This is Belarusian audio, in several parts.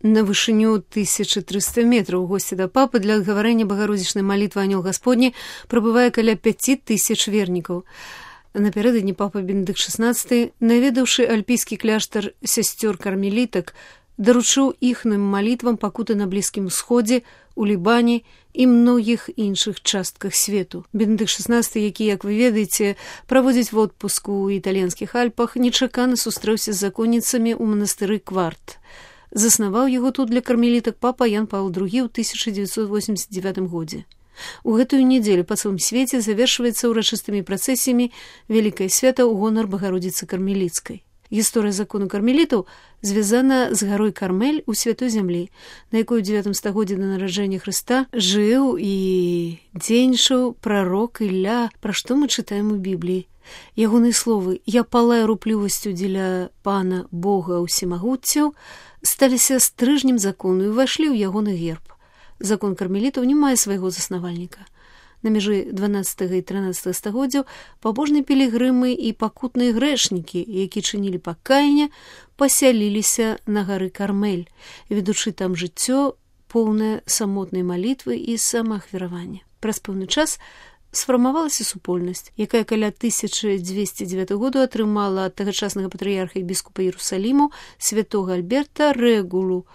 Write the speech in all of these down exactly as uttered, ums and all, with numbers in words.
На вышыню тысяча трыста метраў у госці да папы для адгаварэння багародзічнай малітвы анёл Гасподні прабывае каля пяці тысяч вернікаў. Напярэдадні папа Бенедыкт шаснаццаты, наведаўшы альпійскі кляштар сясцёр кармелітак, даручыў іхным малітвам пакуты на Блізкім Усходзе, у Лібане і многіх іншых частках свету. Бенедыкт шаснаццаты, які, як вы ведаеце, праводзіць водпуску ў італьянскіх Альпах, нечакана сустрэўся з законніцамі ў манастыры Кварт. Заснаваў яго тут для кармелітак папа Ян Паўл другі ў тысяча дзевяцьсот восемьдесят девятым годзе. У гэтую нядзелю па цэлым свеце завершваецца ўрачыстымі працэсіямі вялікае свята ў гонар Багародзіцы Кармеліцкай. Гісторыя закону кармелітаў звязана з гарой Кармель у Святой зямлі, на якой у дзевятым стагоддзі да нараджэння Хрыста жыў і дзейнічаў прарок Ілля, пра што мы чытаем у Бібліі. Ягоныя словы «Я палаю руплівасцю дзеля пана Бога ўсемагуццяў» сталіся стрыжнем закону і ўвайшлі ў ягоны герб. Закон кармелітаў не мае свайго заснавальніка. На мяжы дванаццатага і трынаццатага стагоддзяў пабожныя пілігрымы і пакутныя грэшнікі, які чынілі пакаянне, пасяліліся на гары Кармель, ведучы там жыццё, поўнае самотнай малітвы і самаахвяравання. Праз пэўны час сфармавалася супольнасць, якая каля тысяча дзвесце дзевятага году атрымала ад тагачаснага патрыярха і біскупа Іерусаліму святога Альберта рэгулу,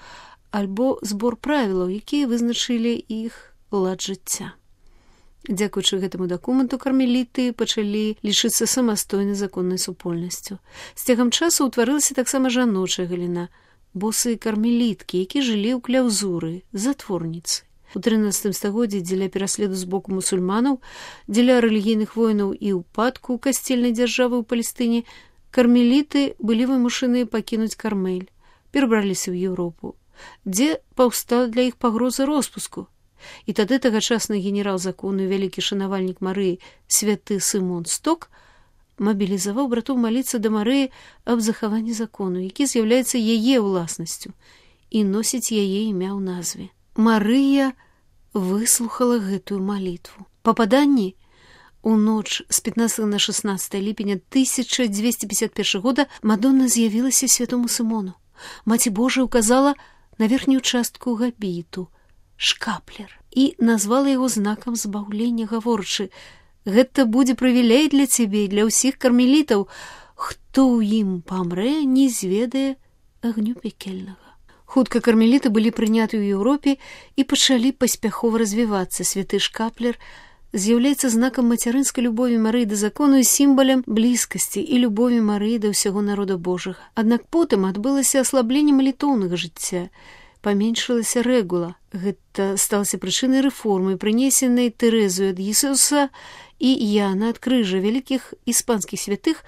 альбо збор правілаў, якія вызначылі іх лад жыцця. Дзякуючы гэтаму дакументу кармеліты пачалі лічыцца самастойнай законнай супольнасцю. З цягам часу ўтварылася таксама жаночая галіна, босыя кармеліткі, які жылі ў кляўзуры, затворніцы. У трынаццатым стагоддзі дзеля пераследу з боку мусульманаў, дзеля рэлігійных войнаў і ўпадку касцельнай дзяржавы ў Палестыне, кармеліты былі вымушаныя пакінуць Кармель, перабраліся ў Еўропу, дзе паўстала для іх пагроза роспуску. І тады тагачасны генерал закону і вялікі шанавальнік Марыі святы Сымон Сток мабілізаваў братоў маліцца да Марыі аб захаванні закону, які з'яўляецца яе ўласнасцю і носіць яе імя ў назве. Марыя выслухала гэтую малітву. Па паданні, у ноч з пятнадцатага на шаснаццатае ліпеня тысяча дзвесце пятьдесят першага года Мадонна з'явілася святому Сымону. Маці Божая указала на верхнюю частку габіту, шкаплер, і назвала яго знакам збаўлення, гаворачы: «Гэта будзе прывілей для цябе і для ўсіх кармелітаў, хто ў ім памрэ, не зведае агню пекельнага». Хутка кармеліты былі прыняты ў Еўропе і пачалі паспяхова развівацца. Святы шкаплер з'яўляецца знакам мацярынскай любові Марыі да закону і сімвалем блізкасці і любові Марыі да ўсяго народа Божага. Аднак потым адбылася аслабленне малітоўнага жыцця, паменшылася рэгула. Гэта сталася прычынай рэформы, прынесенай Тэрэзаю ад Ісуса і Яна ад крыжа, вялікіх іспанскіх святых,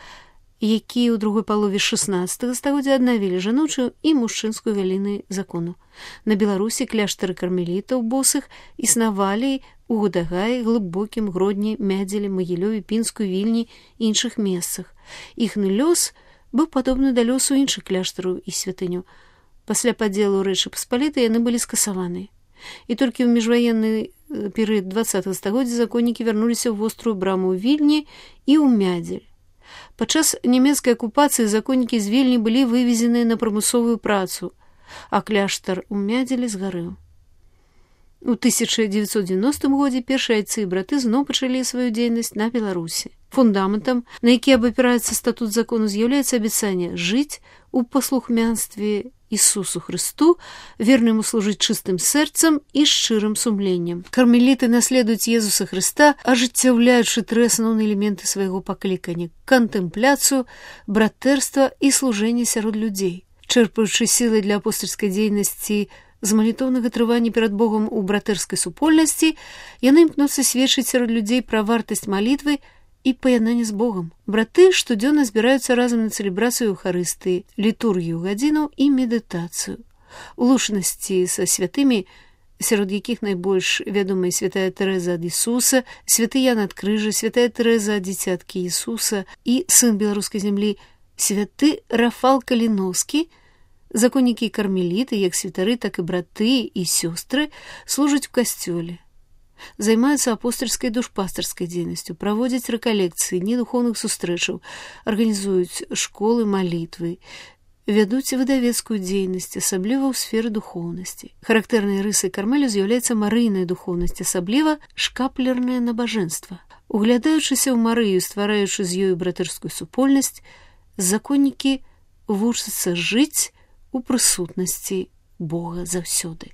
якія ў другой палове шаснаццатага стагоддзя аднавілі жаночую і мужчынскую галіны закону. На Беларусі кляштары кармелітаў босых існавалі ў Гудагаі, Глыбокім, Гродні, Мядзелі, Магілёве, Пінску, Вільні і іншых месцах. Іхны лёс быў падобны да лёсу іншых кляштараў і святыняў. Пасля падзелу Рэчы Паспалітай яны былі скасаваны. І толькі ў міжваенны перыяд дваццатага стагоддзя законнікі вярнуліся ў вострую браму ў Вільні і ў Мядзель. Падчас нямецкай акупацыі законнікі з Вільні былі вывезеныя на прымусовую працу, а кляштар у Мядзелі згарэў. У тысяча дзевяцьсот дзевяностым годзе першыя айцы і браты зноў пачалі сваю дзейнасць на Беларусі. Фундаментам, на які абапіраецца статут закону, з'яўляецца абяцанне жыць у паслухмянстве Ісусу Хрысту, верна яму служыць чыстым сэрцам і шчырым сумленнем. Кармеліты наследуюць Езуса Хрыста, ажыццяўляючы тры асноўныя элементы свайго паклікання: кантэмпляцыю, братэрства і служэнне сярод людзей. Чэрпаючы сілы для апостальскай дзейнасці з малітоўнага трывання перад Богом у братэрскай супольнасці, яны імкнуцца сведчыць сярод людзей пра вартасць малітвы і паяднанне з Богом. Браты штодзённа збіраюцца разам на цэлебрацыю Эўхарыстыі, літургію гадзінаў і медытацыю. У лучнасці са святымі, сярод якіх найбольш вядомая святая Тэрэза ад Ісуса, святы Ян ад крыжа, святая Тэрэза ад дзіцяткі Ісуса і сын беларускай зямлі, святы Рафал Каліноўскі, законнікі і кармеліты, як святары, так і браты і сёстры, служаць у касцёле. Займаюцца апостальскай душпастарскай дзейнасцю, праводзяць рэкалекцыі, дні духоўных сустрэчаў, арганізуюць школы малітвы, вядуць выдавецкую дзейнасць, асабліва ў сферы духоўнасці. Характэрнай рысай Кармелю з'яўляецца марыйная духоўнасць, асабліва шкаплернае набажэнства. Углядаючыся ў Марыю, ствараючы з ёю братэрскую супольнасць, законнікі вучацца жыць у прысутнасці Бога заўсёды.